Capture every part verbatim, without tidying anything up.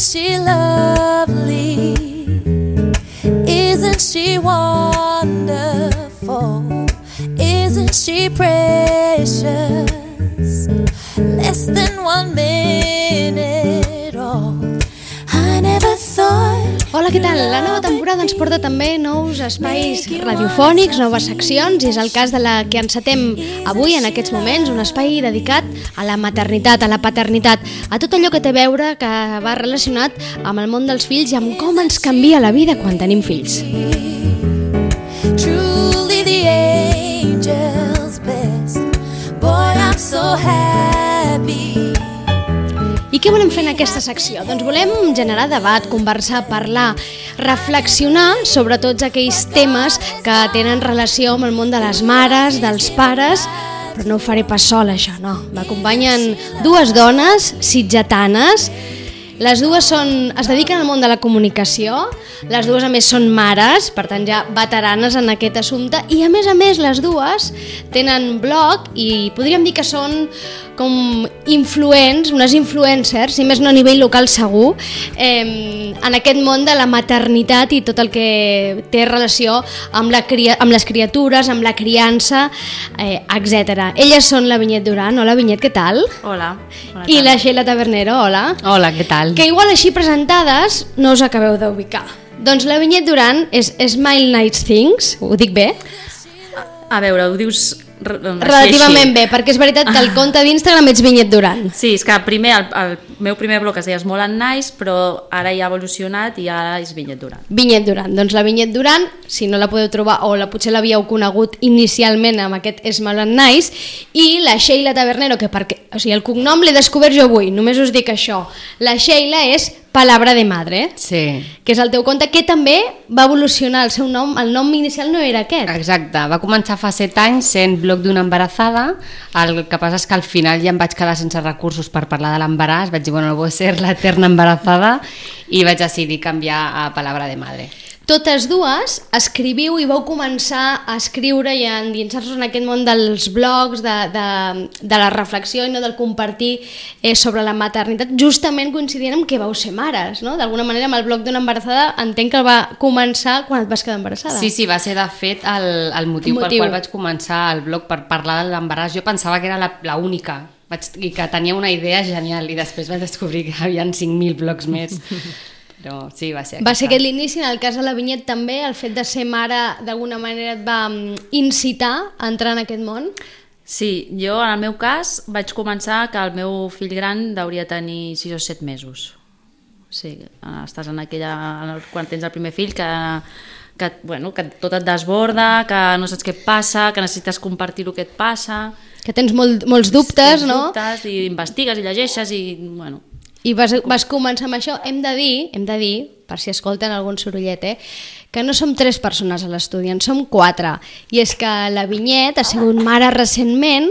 Isn't she lovely? Isn't she wonderful? Isn't she precious? Less than one minute old. I never thought. Hola, què tal? La nova temporada ens porta també nous espais radiofònics, noves seccions, i és el cas de la que encetem avui, en aquests moments, un espai dedicat a la maternitat, a la paternitat, a tot allò que té a veure, que va relacionat amb el món dels fills i amb com ens canvia la vida quan tenim fills. Truly the angel's best. Boy, I'm so happy. I què volem fer en aquesta secció? Doncs volem generar debat, conversar, parlar, reflexionar sobre tots aquells temes que tenen relació amb el món de les mares, dels pares, però no ho faré pas sola, això, no. M'acompanyen dues dones sitgetanes. Les dues són, es dediquen al món de la comunicació, les dues a més són mares, per tant ja veteranes en aquest assumpte, i a més a més les dues tenen blog i podríem dir que són com influents, unes influencers, si més no a nivell local segur, eh, en aquest món de la maternitat i tot el que té relació amb, la cria, amb les criatures, amb la criança, eh, etcètera. Elles són la Vinyet Duran. Hola Vinyet, què tal? Hola. Hola I la Sheila Tabernero, hola. Hola, què tal? Que igual així presentades no us acabeu d'ubicar. Doncs la Vinyet Duran és Smile Nice Things, ho dic bé? A veure, ho dius re- Relativament així. bé, perquè és veritat que el compte d'Instagram ets Vinyet Duran. Sí, és que primer el, el meu primer blog es deia Small and Nice, però ara ja ha evolucionat i ara és Vinyet Duran. Vinyet Duran, doncs la Vinyet Duran, si no la podeu trobar o la potser l'havíeu conegut inicialment amb aquest Small and Nice, i la Sheila Tabernero, que perquè, o sigui, el cognom l'he descobert jo avui, només us dic això. La Sheila és Palabra de Madre, Sí, que és el teu compte, que també va evolucionar el seu nom, el nom inicial no era aquest. exacte. Va començar fa set anys sent blog d'una embarassada. El que passa és que al final ja em vaig quedar sense recursos per parlar de l'embaràs. Vaig dir, bueno, no vull ser l'eterna embarassada, i vaig decidir canviar a Palabra de Madre. Totes dues escriviu i vau començar a escriure i a endinsar-vos en aquest món dels blogs, de, de, de la reflexió i no del compartir eh, sobre la maternitat, justament coincidint amb que vau ser mares, no? D'alguna manera amb el blog d'una embarassada entenc que el va començar quan et vas quedar embarassada. Sí, sí, va ser de fet el, el motiu, Motiu. pel qual vaig començar el blog, per parlar de l'embaràs. Jo pensava que era la, la única vaig, i que tenia una idea genial, i després vaig descobrir que hi havia cinc mil blogs més. Però sí, va ser aquesta. Va ser aquest l'inici. En el cas de la Vinyet també, el fet de ser mare d'alguna manera et va mm, incitar a entrar en aquest món? Sí, jo en el meu cas vaig començar que el meu fill gran hauria tenir sis o set mesos. Sí, estàs en aquella... quan tens el primer fill que... que, bueno, que tot et desborda, que no saps què et passa, que necessites compartir el que et passa, Que tens molt, molts dubtes, tens no? dubtes, i investigues i llegeixes i bueno... I vas, vas començar amb això. Hem de dir, hem de dir, per si escolten algun sorollet, eh, que no som tres persones a l'estudi, en som quatre. I és que la Vinyet ha sigut mare recentment.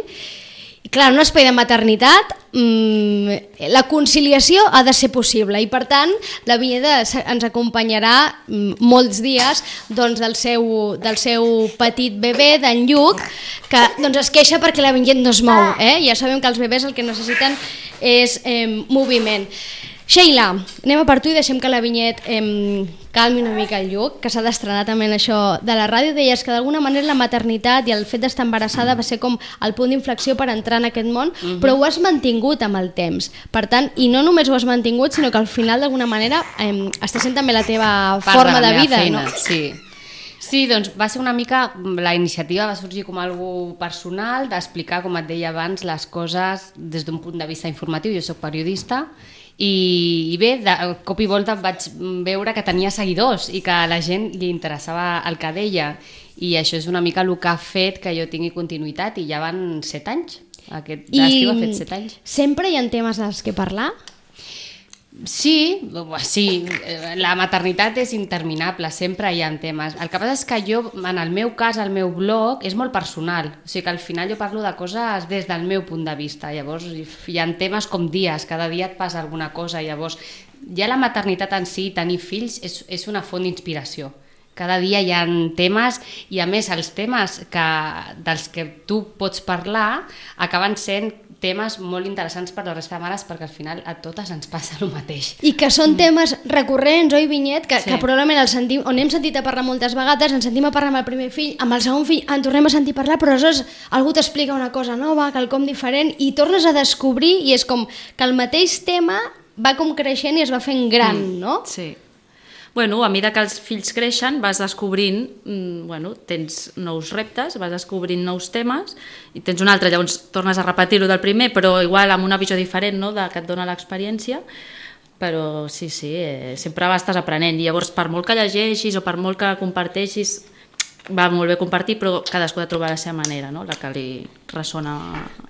I clar, en un espai de maternitat mmm, la conciliació ha de ser possible, i per tant la Vinyet ens acompanyarà mmm, molts dies doncs, del, seu, del seu petit bebè, d'en Lluc, que doncs, es queixa perquè la Vinyet no es mou, eh? Ja sabem que els bebès el que necessiten és eh, moviment. Sheila, anem a per tu i deixem que la Vinyet eh, calmi una mica el Lluc, que s'ha d'estrenar també en això de la ràdio. Deies que d'alguna manera la maternitat i el fet d'estar embarassada va ser com el punt d'inflexió per entrar en aquest món, uh-huh. però ho has mantingut amb el temps. Per tant, i no només ho has mantingut, sinó que al final d'alguna manera eh, està sent també la teva Part forma de, de, de vida, feina, no? Sí. Sí, doncs va ser una mica, la iniciativa va sorgir com algo personal, d'explicar, com et deia abans, les coses des d'un punt de vista informatiu. Jo soc periodista i, i bé, de cop i volta vaig veure que tenia seguidors i que a la gent li interessava el que deia, i això és una mica el que ha fet que jo tingui continuïtat, i ja van set anys. Aquest estiu ha fet set anys. Sempre hi ha temes dels que parlar? Sí, sí, la maternitat és interminable, sempre hi ha temes. El que passa és que jo, en el meu cas, el meu blog és molt personal, o sigui que al final jo parlo de coses des del meu punt de vista. Llavors hi ha temes com dies, cada dia et passa alguna cosa, llavors ja la maternitat en si, tenir fills, és, és una font d'inspiració. Cada dia hi ha temes, i a més els temes que, dels que tu pots parlar acaben sent temes molt interessants per la resta de mares perquè al final a totes ens passa el mateix. I que són temes recurrents, oi, Vinyet? Que, Sí. que probablement el sentim, on hem sentit a parlar moltes vegades, ens sentim a parlar amb el primer fill, amb el segon fill en tornem a sentir parlar, però aleshores algú t'explica una cosa nova, quelcom diferent, i tornes a descobrir, i és com que el mateix tema va com creixent i es va fent gran, mm. no? Sí. Bueno, a mesura que els fills creixen vas descobrint, mm, bueno, tens nous reptes, vas descobrint nous temes i tens un altre, llavors tornes a repetir-ho del primer, però igual amb una visió diferent, no?, de que et dona l'experiència, però sí, sí, eh, sempre estàs aprenent i llavors per molt que llegeixis o per molt que comparteixis, va molt bé compartir, però cadascú ha de trobar la seva manera, no?, la que li ressona.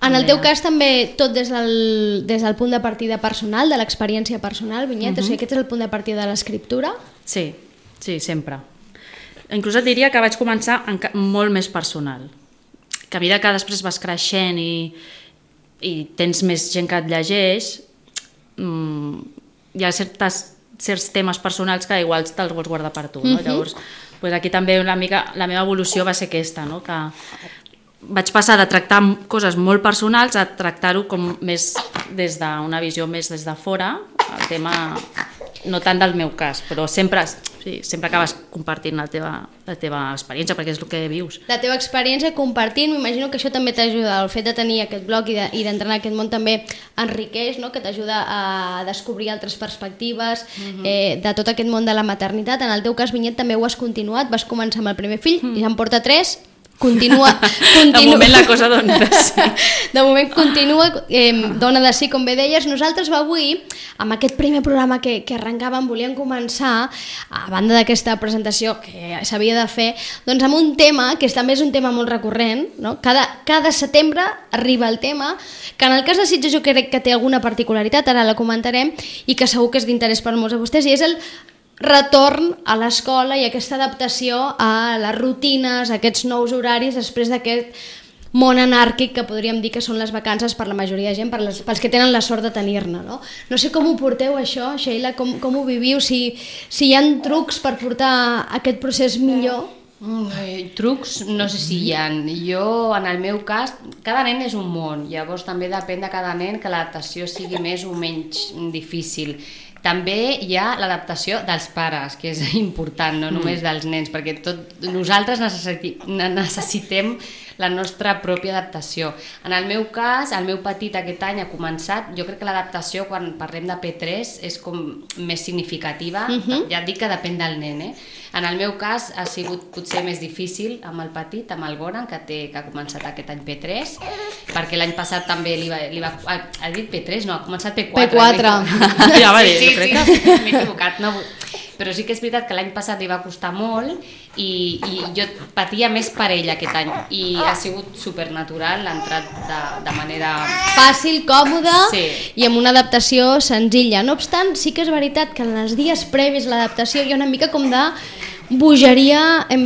En el teu cas també tot des del, des del punt de partida personal, de l'experiència personal, Vinyet, uh-huh. o sigui, aquest és el punt de partida de l'escriptura? Sí, sí, sempre. Inclús et diria que vaig començar en ca- molt més personal, que a mesura que després vas creixent i, i tens més gent que et llegeix, mmm, hi ha certes, certs temes personals que igual te'ls vols guardar per tu, no? Uh-huh. Llavors, pues aquí també una mica, la meva evolució va ser aquesta, no?, que vaig passar de tractar coses molt personals a tractar-ho com més des d'una visió més des de fora, el tema no tant del meu cas, però sempre, sí, sempre acabes compartint la teva, la teva experiència, perquè és el que vius. La teva experiència compartint, m'imagino que això també t'ajuda, el fet de tenir aquest blog i de- i d'entrar en aquest món també enriqueix, no?, que t'ajuda a descobrir altres perspectives uh-huh. eh, de tot aquest món de la maternitat. En el teu cas, Vinyet, també ho has continuat, vas començar amb el primer fill uh-huh. i ja en porta tres, continua... continua. De moment la cosa dona de sí. De moment continua, eh, dona de sí, com bé deies. Nosaltres avui, amb aquest primer programa que, que arrencàvem, volíem començar, a banda d'aquesta presentació que s'havia de fer, doncs amb un tema, que també és un tema molt recurrent, no? Cada, cada setembre arriba el tema, que en el cas de Sitges jo crec que té alguna particularitat, ara la comentarem, i que segur que és d'interès per molts de vostès, i és el retorn a l'escola i aquesta adaptació a les rutines, a aquests nous horaris després d'aquest món anàrquic que podríem dir que són les vacances per la majoria de gent, per les, pels que tenen la sort de tenir-ne, no? No sé com ho porteu això, Sheila, com, com ho viviu, si, si hi ha trucs per portar aquest procés millor. Mm, trucs no sé si hi ha. Jo, en el meu cas, cada nen és un món, llavors també depèn de cada nen que l'adaptació sigui més o menys difícil. També hi ha l'adaptació dels pares, que és important, no només dels nens, perquè tot, nosaltres necessiti, necessitem la nostra pròpia adaptació. En el meu cas, el meu petit aquest any ha començat, jo crec que l'adaptació quan parlem de P tres és com més significativa, uh-huh. ja et dic que depèn del nen, eh? En el meu cas ha sigut potser més difícil amb el petit, amb el Goran, que, té, que ha començat aquest any P tres, perquè l'any passat també li va... Li va ha, ha dit P tres? No, ha començat P quatre. P quatre. Ja va dir, sí, jo sí, crec sí, que... m'he equivocat. No, però sí que és veritat que l'any passat li va costar molt i, i jo patia més per ell aquest any i ha sigut supernatural, l'ha entrat de, de manera... Fàcil, còmoda Sí. i amb una adaptació senzilla. No obstant, sí que és veritat que en els dies previs a l'adaptació hi ha una mica com de bogeria em,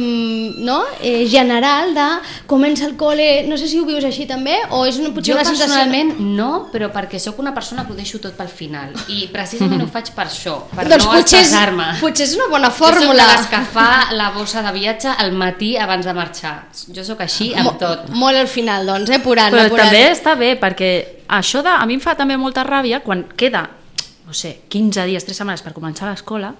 no? eh, general de comença el col·le, no sé si ho vius així també o és una, potser Jo una sensació... personalment no, però perquè sóc una persona que ho deixo tot pel final i precisament ho faig per això, per doncs no potser és, estressar-me. potser és una bona Jo soc fórmula. de les que fa la bossa de viatge al matí abans de marxar. Jo sóc així amb Mo- tot. Molt al final, doncs, eh? Apurant, Però apurant. també està bé, perquè això de, a mi em fa també molta ràbia quan queda, no sé, quinze dies, tres setmanes per començar l'escola.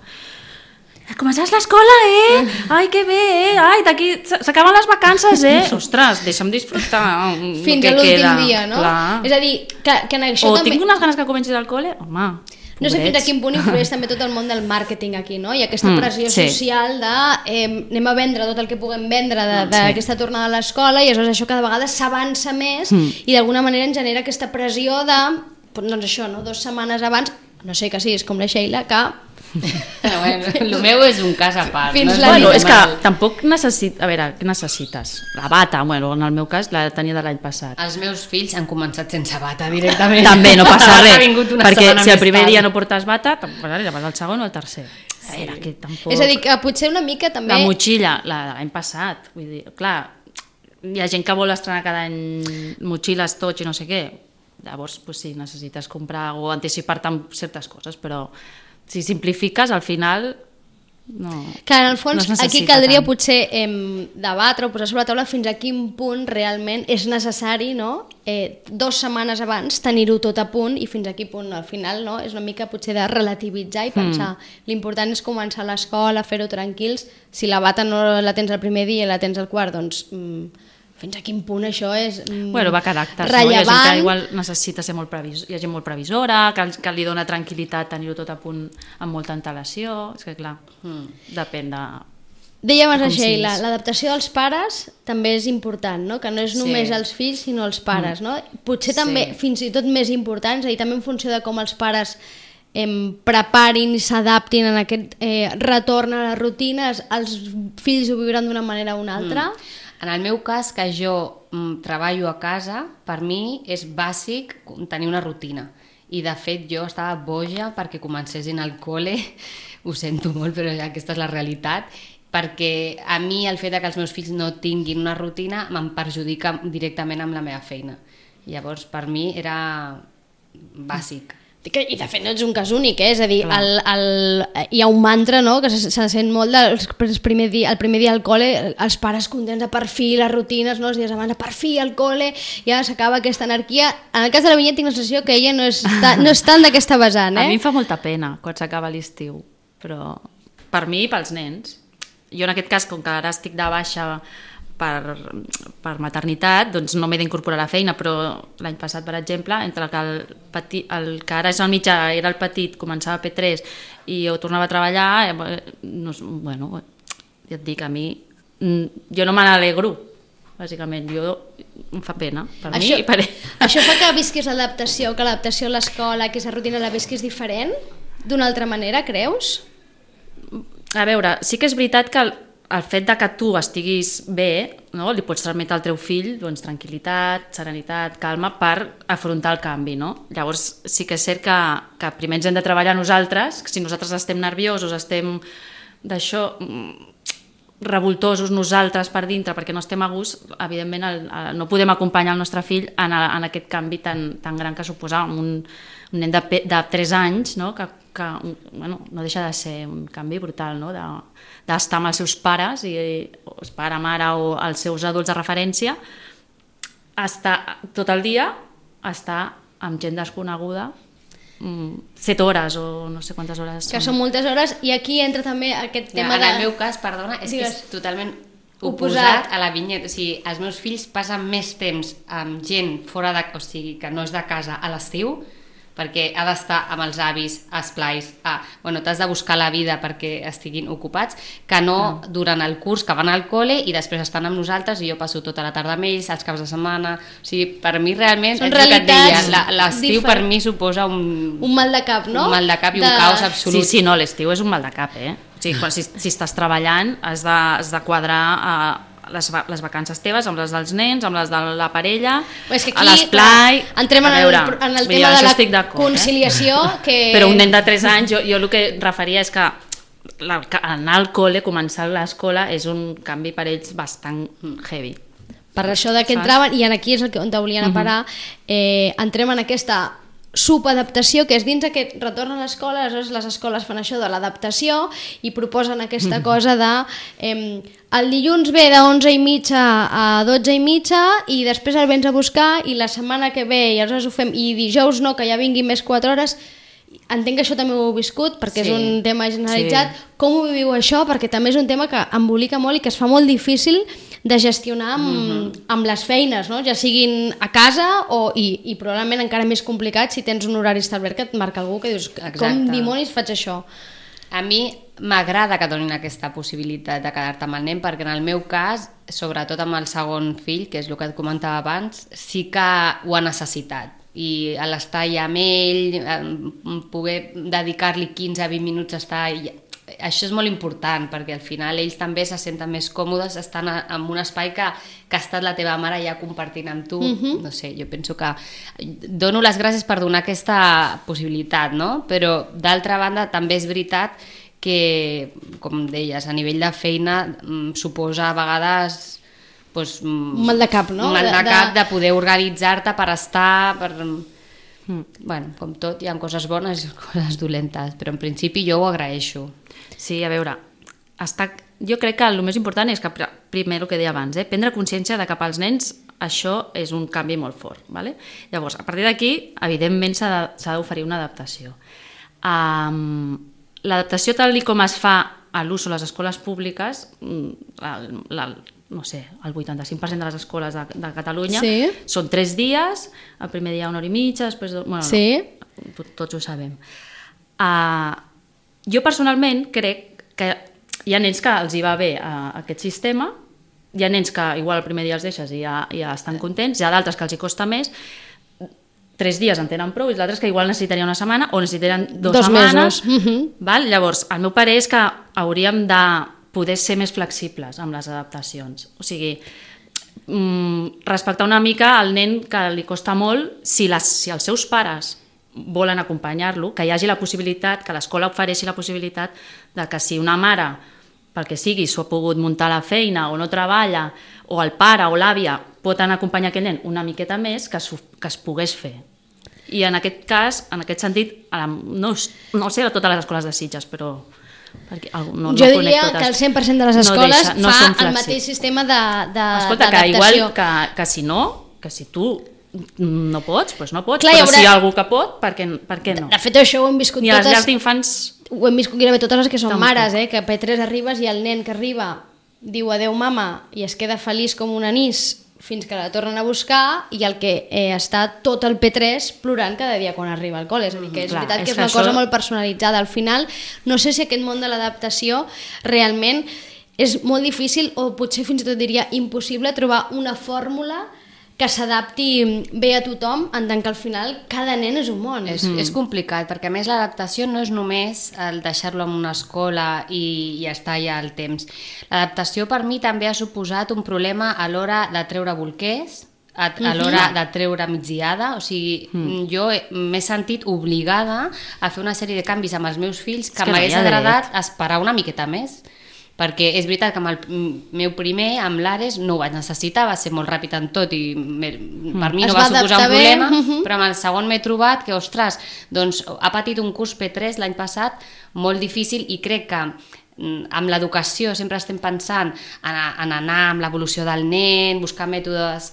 Començaràs l'escola, eh? Ai, que bé, eh? Ai, d'aquí s'acaben les vacances, eh? Ostres, deixa'm disfrutar el Fins que a l'últim queda. dia, no? Clar. És a dir, que, que en això O també... tinc unes ganes que comencis al col·le, home, No sé fins a pobrets. quin punt influeix també tot el món del màrqueting aquí, no? I aquesta Mm, pressió sí. social de eh, anem a vendre tot el que puguem vendre de- Sí. d'aquesta tornada a l'escola i aleshores això cada vegada s'avança més Mm. i d'alguna manera ens genera aquesta pressió de, doncs això, no? Dues setmanes abans, no sé que sí, és com la Sheila, que Però bueno, el meu és un cas a part. Fins no és la Bueno, nit. és que tampoc necessit... A veure, què necessites? La bata, bueno, en el meu cas la tenia de l'any passat. Els meus fills han començat sense bata directament. També no passa Ha res, vingut una perquè setmana si el més primer tard. dia no portes bata, tampoc passa res, vas al segon o al tercer. A veure, que tampoc... és a dir, que potser una mica també... La motxilla, la de l'any passat, vull dir, clar, hi ha gent que vol estrenar cada any motxilles, tots i no sé què, llavors, pues sí, necessites comprar o anticipar-te amb certes coses, però si simplifiques, al final No, que en el fons no aquí caldria tant. potser eh, debatre o posar sobre la taula fins a quin punt realment és necessari, no? eh, dues setmanes abans tenir-ho tot a punt i fins a quin punt al final, no? És una mica potser de relativitzar i pensar mm. l'important és començar l'escola, fer-ho tranquils, si la bata no la tens el primer dia i la tens el quart, doncs mm, fins a quin punt això és mm, bueno, va a caràcters, rellevant. No? Hi ha gent que igual necessita ser molt previsor, hi ha gent molt previsora, que, que li dona tranquil·litat tenir-ho tot a punt amb molta antelació, és que clar, mm. depèn de... Dèiem a Sheila, l'adaptació dels pares també és important, no? Que no és només sí. els fills sinó els pares, mm. no? Potser també sí. fins i tot més importants, i també en funció de com els pares eh, preparin i s'adaptin en aquest eh, retorn a les rutines, els fills ho viuran d'una manera o una altra. Mm. En el meu cas, que jo mm, treballo a casa, per mi és bàsic tenir una rutina. I de fet jo estava boja perquè comencessin al col·le, ho sento molt però aquesta és la realitat, perquè a mi el fet que els meus fills no tinguin una rutina me'n perjudica directament amb la meva feina. Llavors, per mi era bàsic. I de fet no ets un cas únic, eh? És a dir, el, el, hi ha un mantra, no?, que se, se sent molt del primer dia, el primer dia al col·le, els pares contents de per fi, les rutines, no?, els dies abans, per fi al col·le, ja s'acaba aquesta anarquia. En el cas de la Vinyet tinc la sensació que ella no és, ta, no és tant d'aquesta vessant, eh? A mi em fa molta pena quan s'acaba l'estiu, però per mi i pels nens. Jo en aquest cas, com que ara estic de baixa per, per maternitat, doncs no m'he d'incorporar a la feina, però l'any passat, per exemple, entre que el, petit, el que ara és el mitjà era el petit, començava a P tres i jo tornava a treballar, no, bueno, ja et dic, a mi jo no me n'alegro, bàsicament, jo em fa pena per això, mi i per ell. Això fa que visquis l'adaptació, que l'adaptació a l'escola, que aquesta rutina la visquis diferent, d'una altra manera, creus? A veure, sí que és veritat que el, el fet de que tu estiguis bé, no? Li pots transmetre al teu fill doncs, tranquil·litat, serenitat, calma per afrontar el canvi, no? Llavors sí que és cert que, que primer ens hem de treballar nosaltres, que si nosaltres estem nerviosos, estem d'això revoltosos nosaltres per dintre perquè no estem a gust, evidentment el, el, no podem acompanyar el nostre fill en, a, en aquest canvi tan, tan gran que suposa un, un nen de, de tres anys, no? que, que bueno, no deixa de ser un canvi brutal, no? de, d'estar amb els seus pares, i, o el pare, mare o els seus adults de referència, estar tot el dia, estar amb gent desconeguda, set hores o no sé quantes hores que són. són moltes hores, i aquí entra també aquest tema ja, de... En el meu cas, perdona, és Digues. que és totalment oposat, oposat a la Vinyet, o sigui, els meus fills passen més temps amb gent fora de, o sigui, que no és de casa a l'estiu, perquè ha d'estar amb els avis, a esplais, a, bueno, t'has de buscar la vida perquè estiguin ocupats, que no ah. durant el curs que van al col·le i després estan amb nosaltres i jo passo tota la tarda amb ells, els caps de setmana, o sigui, per mi realment, són és el que et deia, la, l'estiu diferent. Per mi suposa un... Un mal de cap, no? Un mal de cap i de... un caos absolut. Sí, sí, no, l'estiu és un mal de cap, eh? O sigui, quan, si, si estàs treballant has de, has de quadrar... Eh, Les, les vacances teves, amb les dels nens, amb les de la parella, és que aquí, a l'esplai... Entrem en, veure, el, en el tema de la conciliació... Eh? Que... Però un nen de tres anys, jo, jo el que referia és que la, anar al col·le, començar l'escola, és un canvi per ells bastant heavy. Per això de què entraven, i aquí és el que, on te volien a parar, eh, entrem en aquesta subadaptació, que és dins aquest retorn a l'escola. Aleshores les escoles fan això de l'adaptació i proposen aquesta cosa de eh, el dilluns ve de onze i mitja a dotze i mitja i després el vens a buscar, i la setmana que ve i aleshores ho fem, i dijous no, que ja vingui més quatre hores. Entenc que això també ho heu viscut perquè sí, és un tema generalitzat. Sí. Com ho viviu això? Perquè també és un tema que embolica molt i que es fa molt difícil de gestionar amb, mm-hmm. amb les feines, no? Ja siguin a casa o, i, i probablement encara més complicat si tens un horari establert que et marca algú que dius, exacte, com dimonis faig això? A mi m'agrada que donin aquesta possibilitat de quedar-te amb el nen, perquè en el meu cas, sobretot amb el segon fill, que és el que et comentava abans, sí que ho ha necessitat. I a l'estar allà amb ell, poder dedicar-li quinze a vint minuts a estar allà, això és molt important, perquè al final ells també se senten més còmodes estant en un espai que, que ha estat la teva mare ja compartint amb tu. Mm-hmm. No sé, jo penso que dono les gràcies per donar aquesta possibilitat, no? Però d'altra banda també és veritat que, com deies, a nivell de feina suposa a vegades pues, un mal de cap, no? Un mal de, de cap de poder organitzar-te per estar... Per... Bueno, com tot, hi ha coses bones i coses dolentes, però en principi jo ho agraeixo. Sí, a veure, està, jo crec que el més important és que, primer el que deia abans, eh, prendre consciència de que pels nens això és un canvi molt fort. Vale? Llavors, a partir d'aquí, evidentment s'ha d'oferir una adaptació. Um, L'adaptació tal com es fa a l'ús a les escoles públiques, la, la, no sé, el vuitanta-cinc per cent de les escoles de, de Catalunya sí. són tres dies, el primer dia una hora i mitja, després... Bueno, sí. no, tots ho sabem. Uh, jo personalment crec que hi ha nens que els hi va bé uh, aquest sistema, hi ha nens que igual el primer dia els deixes i ja, ja estan contents, hi ha d'altres que els hi costa més, tres dies en tenen prou i els altres que igual necessitaria una setmana o necessitarien dues dos setmanes. Mesos. Uh-huh. Val? Llavors, el meu parer és que hauríem de poder ser més flexibles amb les adaptacions. O sigui, mm, respectar una mica al nen que li costa molt, si, les, si els seus pares volen acompanyar-lo, que hi hagi la possibilitat, que l'escola ofereixi la possibilitat de que si una mare, pel que sigui, s'ho ha pogut muntar a la feina o no treballa, o el pare o l'àvia pot anar a acompanyar aquell nen una miqueta més, que, que es pogués fer. I en aquest cas, en aquest sentit, no, no sé a totes les escoles de Sitges, però... Perquè no, jo no diria totes. Que el cent per cent de les escoles no deixa, no fa el mateix sistema d'adaptació. Escolta, que igual que, que si no, que si tu no pots, doncs no pots, clar, però haurà... si hi ha algú que pot, per què, per què no? De fet, això ho hem viscut totes... Ni a les totes... llars d'infants... Ho hem viscut gairebé totes les que són mares, eh? Que a P tres arribes i el nen que arriba diu adeu mama i es queda feliç com un anís fins que la tornen a buscar i el que eh, està tot el P tres plorant cada dia quan arriba al col·le. És a dir, que és Clar, veritat és que és que una això... cosa molt personalitzada. Al final, no sé si aquest món de l'adaptació realment és molt difícil o potser fins i tot diria impossible trobar una fórmula que s'adapti bé a tothom, en tant que al final cada nen és un món. És, mm. és complicat, perquè a més l'adaptació no és només el deixar-lo en una escola i, i estar allà al temps. L'adaptació per mi també ha suposat un problema a l'hora de treure bolquers, a, a l'hora de treure migdiada, o sigui, mm. jo m'he sentit obligada a fer una sèrie de canvis amb els meus fills que, que m'hagués agradat dret. Esperar una miqueta més. Perquè és veritat que amb el meu primer, amb l'Ares, no ho vaig necessitar, va ser molt ràpid en tot i me, per mi no va, va suposar un problema, bé. Però amb el segon m'he trobat que, ostres, doncs ha patit un curs P tres l'any passat molt difícil i crec que amb l'educació sempre estem pensant en, en anar amb l'evolució del nen, buscar mètodes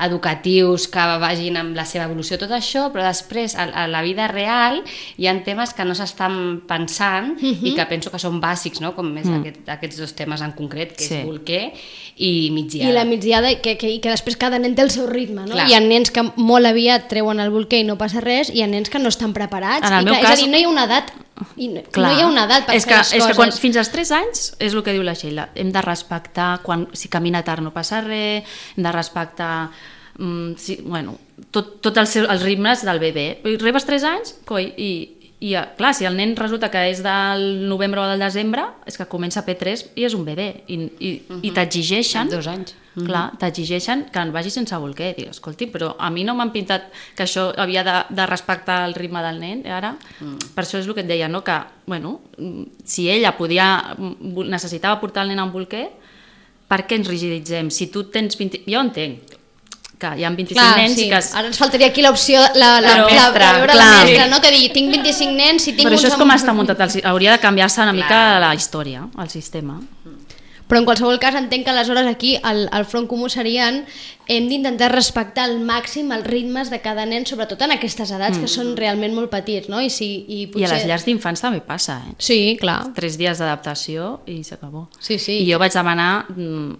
educatius que vagin amb la seva evolució, tot això, però després a, a la vida real hi ha temes que no s'estan pensant uh-huh. i que penso que són bàsics, no? Com més mm. aquest, aquests dos temes en concret, que sí. és bolquer i migdiada. I la migdiada, que, que, que després cada nen té el seu ritme, no? Clar. Hi ha nens que molt aviat treuen el bolquer i no passa res, i hi ha nens que no estan preparats. En el I meu que, cas... És a dir, no hi ha una edat, i no, no hi ha una edat per és fer que, les és coses. Que quan, fins als tres anys, és el que diu la Sheila, hem de respectar, quan, si camina tard no passa res, hem de respectar mm, si, bueno, tot, tot els, els ritmes del bebè. Rebes tres anys, coi, i, i clar, si el nen resulta que és del novembre o del desembre, és que comença P tres i és un bebè, i, i, uh-huh. i t'exigeixen... dos anys. Clar, t'exigeixen que en vagi sense bolquer. Dic, escolti, però a mi no m'han pintat que això havia de, de respectar el ritme del nen, ara. Mm. Per això és el que et deia, no? Que, bueno, si ella podia, necessitava portar el nen amb bolquer, per què ens rigiditzem? Si tu tens vint... Jo entenc que hi ha vint-i-cinc clar, nens... Sí. I que es... Ara ens faltaria aquí l'opció, la, la, la, mestra, la, la, la mestra, no? Que digui, tinc vint-i-cinc nens, si tinc... Però això és amb... com està muntat, el... hauria de canviar-se una clar. Mica la història, el sistema. Però en qualsevol cas entenc que aleshores aquí el, el front comú serien hem d'intentar respectar al màxim els ritmes de cada nen, sobretot en aquestes edats mm. que són realment molt petits, no? I, si, i, potser... I a les llars d'infants també passa, eh? Sí, clar. Tres dies d'adaptació i s'acabó. Sí, sí. I jo vaig demanar mm,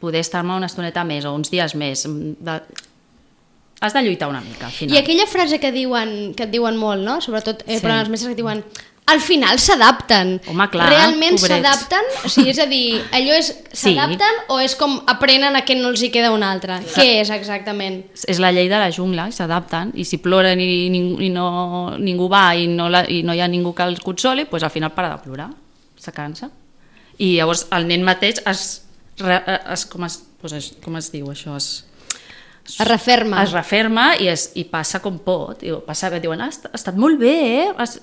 poder estar-me una estoneta més o uns dies més. De... Has de lluitar una mica, al final. I aquella frase que diuen que et diuen molt, no? Sobretot eh, sí. Per als mestres que diuen... Al final s'adapten. Home, clar, realment pobrets. S'adapten? O sigui, és a dir, allò és s'adapten sí. O és com aprenen a que no els hi queda un altre? Sí. Què és exactament? És la llei de la jungla, i s'adapten, i si ploren i, i no, ningú va i no, la, i no hi ha ningú que els consoli, doncs al final para de plorar, se cansa. I llavors el nen mateix es, es, com, es, doncs es com es diu això? Es, es referma. Es referma i, es, i passa com pot. I passa bé, diuen, ah, ha estat molt bé, eh? Has,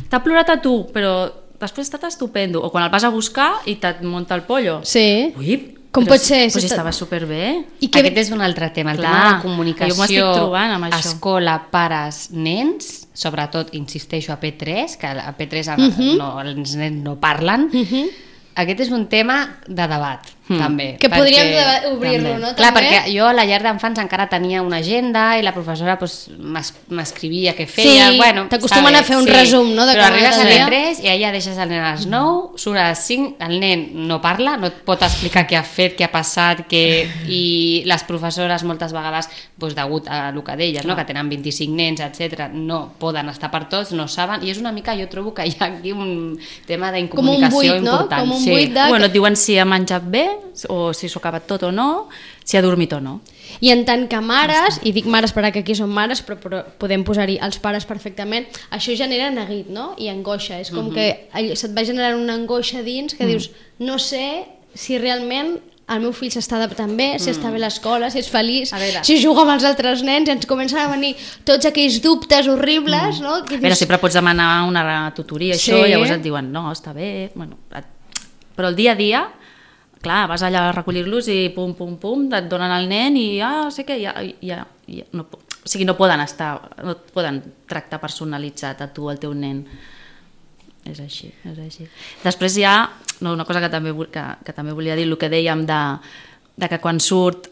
t'ha plorat a tu, però després ha estat estupendo. O quan el vas a buscar i te't munta el pollo. Sí. Ui, com pot ser? Però si estava superbé. I que... Aquest és un altre tema, el clar, tema de la comunicació, jo m'estic trobant amb això. Escola, pares, nens, sobretot, insisteixo, a P tres, que a P tres uh-huh. no, els nens no parlen, uh-huh. aquest és un tema de debat, mm. també. Que podríem obrir-lo, no? Clar, també? perquè jo a la llar d'infants encara tenia una agenda i la professora pues, m'escrivia què feia. Sí, bueno, t'acostumen a fer un sí. resum, no? De Però arribes a les dia. tres i allà deixes el nen a les nou, surt a les cinc, el nen no parla, no et pot explicar què ha fet, què ha passat, què... i les professores moltes vegades, pues, degut a el que deies, no? Que tenen vint-i-cinc nens, etcètera, no poden estar per tots, no saben, i és una mica, jo trobo que hi ha aquí un tema d'incomunicació important. Com un sí. buit de... Bueno, et diuen si ha menjat bé, o si s'ho ha acabat tot o no, si ha dormit o no. I en tant que mares, i dic mares perquè aquí són mares, però, però podem posar-hi els pares perfectament, això genera neguit, no? I angoixa, és com uh-huh. que se't va generar una angoixa dins que uh-huh. dius, no sé si realment el meu fill s'està adaptant bé, si mm. està bé a l'escola, si és feliç, si juga amb els altres nens, i ens comencen a venir tots aquells dubtes horribles, mm. no? Que dius... Però sempre pots demanar una tutoria, sí. Això, i llavors et diuen, no, està bé, bueno, et... però el dia a dia, clar, vas allà a recollir-los i pum, pum, pum, et donen el nen i ah, sé què, ja, ja, ja no, o sigui, no poden estar, no poden tractar personalitzat a tu, el teu nen. És així, és així. Després hi ha no, una cosa que també, que, que també volia dir, el que dèiem de, de que quan surt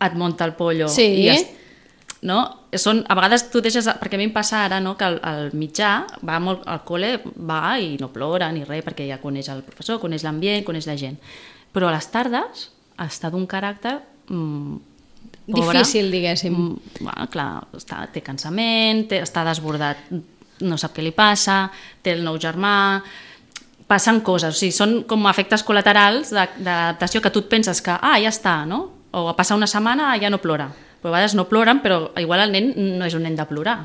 et munta el pollo. Sí. I es, no? Són, a vegades tu deixes, perquè a mi em passa ara, no, que el, el mitjà va molt, al col·le, va i no plora ni res, perquè ja coneix el professor, coneix l'ambient, coneix la gent. Però a les tardes està d'un caràcter mmm, pobre, difícil, diguéssim. Mm, bueno, clar, està, té cansament, té, està desbordat, no sap què li passa, té el nou germà, passen coses, o sigui, són com efectes col·laterals d'adaptació que tu et penses que, ah, ja està, no? O a passar una setmana ja no plora. Però a vegades no ploren, però igual el nen no és un nen de plorar.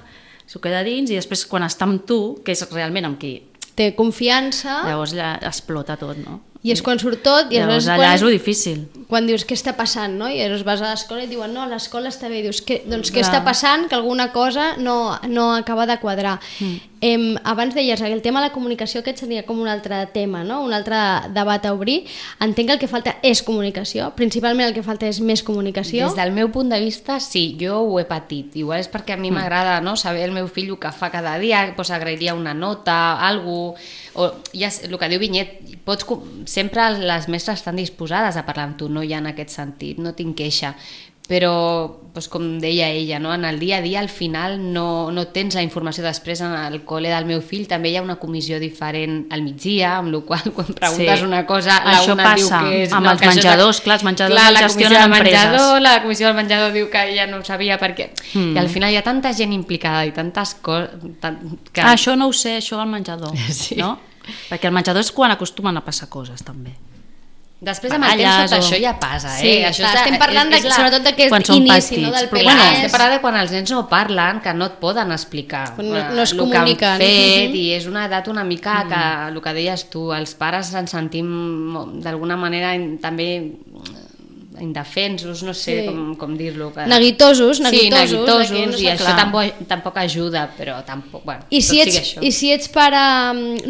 S'ho queda dins i després quan està amb tu, que és realment amb qui... Té confiança... Llavors ja explota tot, no? I és quan surt tot... I llavors allà quan, és lo difícil. Quan dius què està passant, no? I llavors vas a l'escola i diuen no, l'escola està bé. I dius, què, doncs què està passant? Que alguna cosa no, no acaba de quadrar. Mm. Em, abans deies, el tema de la comunicació, aquest seria com un altre tema, no? Un altre debat a obrir. Entenc que el que falta és comunicació. Principalment el que falta és més comunicació. Des del meu punt de vista, sí, jo ho he patit. Igual és perquè a mi m'agrada, no?, saber el meu fill el que fa cada dia, doncs agrairia una nota, alguna cosa... O, ja, el que diu Vinyet, pots, sempre les mestres estan disposades a parlar amb tu, no hi ha en aquest sentit, no tinc queixa, però doncs, com deia ella, no? En el dia a dia al final no, no tens la informació. Després en el col·le del meu fill també hi ha una comissió diferent al migdia, amb la qual quan preguntes sí. una cosa la això una passa diu que és, amb no, els que menjadors, és... clar, els menjadors clar, el gestionen empreses. Menjador, la comissió del menjador diu que ella no ho sabia perquè... Mm. I al final hi ha tanta gent implicada i tantes coses... Tant, que... Ah, això no ho sé, això al menjador, sí. no? Perquè el menjador és quan acostumen a passar coses també. Després amb el temps tot o... això ja passa, eh? Sí, això clar, és, estem parlant de, és la... sobretot d'aquest inici, no, del Però bueno, estem parlant de quan els nens no parlen, que no et poden explicar no, no es el comuniquen. Que han fet, i és una edat una mica que, mm. el que deies tu, els pares ens sentim d'alguna manera també indefensos, no sé sí. com, com dir-lo. Que... Neguitosos, neguitosos. Sí, neguitosos, no i això clar. tampoc, tampoc ajuda, però tampoc, bueno, I si ets, això. I si ets pare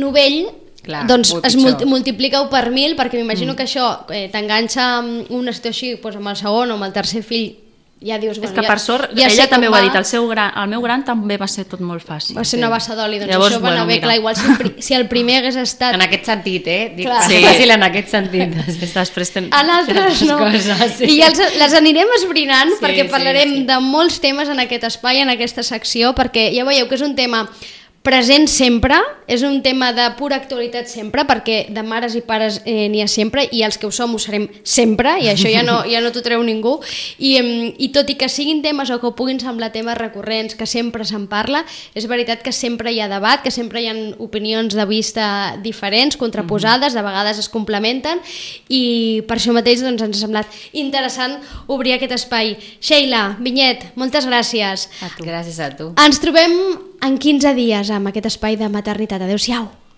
novell, clar, doncs es multi multiplica-ho per mil, perquè m'imagino mm. que això eh, t'enganxa amb una situació així, doncs amb el segon o amb el tercer fill, ja dius... És bueno, que ja, per sort, ja ella també ho va... ha dit, el, seu gran, el meu gran també va ser tot molt fàcil. Va ser sí. una bassa d'oli, doncs llavors, això va anar bueno, bé, mira. clar, igual si el, pri si el primer hagués estat... En aquest sentit, eh? Dic, clar. sí. fàcil en aquest sentit. Després ten... En altres no. Coses, sí. I ja els, les anirem esbrinant sí, perquè parlarem sí, sí. de molts temes en aquest espai, en aquesta secció, perquè ja veieu que és un tema present sempre, és un tema de pura actualitat sempre, perquè de mares i pares eh, n'hi ha sempre, i els que ho som ho serem sempre, i això ja no, ja no t'ho treu ningú, I, i tot i que siguin temes o que puguin semblar temes recurrents, que sempre se'n parla, és veritat que sempre hi ha debat, que sempre hi ha opinions de vista diferents, contraposades, de vegades es complementen, i per això mateix doncs, ens ha semblat interessant obrir aquest espai. Sheila, Vinyet, moltes gràcies. A tu. Gràcies a tu. Ens trobem en quinze dies amb aquest espai de maternitat. Adéu-siau.